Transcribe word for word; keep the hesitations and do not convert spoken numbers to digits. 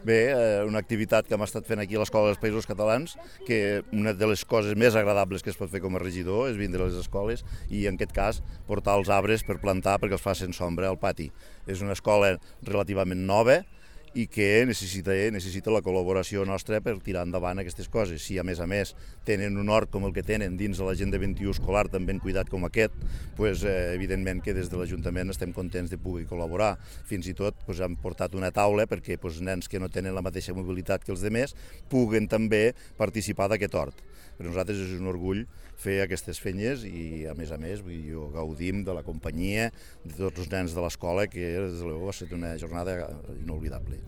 Bé, eh, una activitat que hem estat fent aquí a l'Escola dels Països Catalans, que una de les coses més agradables que es pot fer com a regidor és vindre a les escoles i, en aquest cas, portar els arbres per plantar perquè els facin sombra al pati. És una escola relativament nova i que necessita, necessita la col·laboració nostra per tirar endavant aquestes coses. Si, a més a més, tenen un hort com el que tenen dins de l'Agenda vint i u escolar tan ben cuidat com aquest, doncs, eh, evidentment que des de l'Ajuntament estem contents de poder col·laborar. Fins i tot doncs, hem portat una taula perquè doncs, nens que no tenen la mateixa mobilitat que els altres puguen també participar d'aquest hort. Per nosaltres és un orgull fer aquestes feines i, a més a més, vull dir, gaudim de la companyia de tots els nens de l'escola, que des de l'U ha estat una jornada inoblidable.